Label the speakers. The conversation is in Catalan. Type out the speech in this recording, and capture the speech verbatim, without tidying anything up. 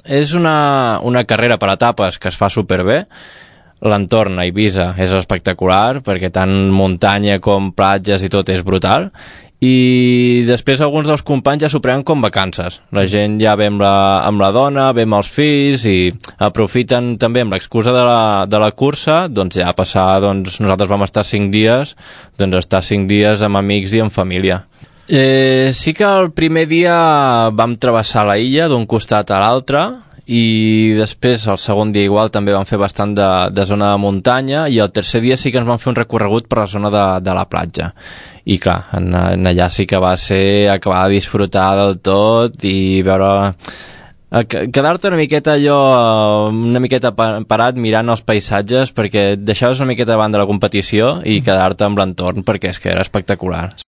Speaker 1: És una, una carrera per etapes que es fa superbé. L'entorn a Eivissa és espectacular perquè tant muntanya com platges i tot és brutal. I després alguns dels companys ja s'ho prenen com vacances. La gent ja ve amb la, amb la dona, ve amb els fills i aprofiten també amb l'excusa de la, de la cursa, doncs ja passar, doncs nosaltres vam estar cinc dies, doncs estar cinc dies amb amics i amb família. Eh, sí que el primer dia vam travessar la illa d'un costat a l'altre i després el segon dia igual també vam fer bastant de, de zona de muntanya i el tercer dia sí que ens vam fer un recorregut per la zona de, de la platja. I clar, en, en allà sí que va ser acabar de disfrutar del tot i veure... quedar-te una miqueta allò, una miqueta parat mirant els paisatges perquè et deixaves una miqueta davant de la competició i quedar-te amb l'entorn perquè és que era espectacular.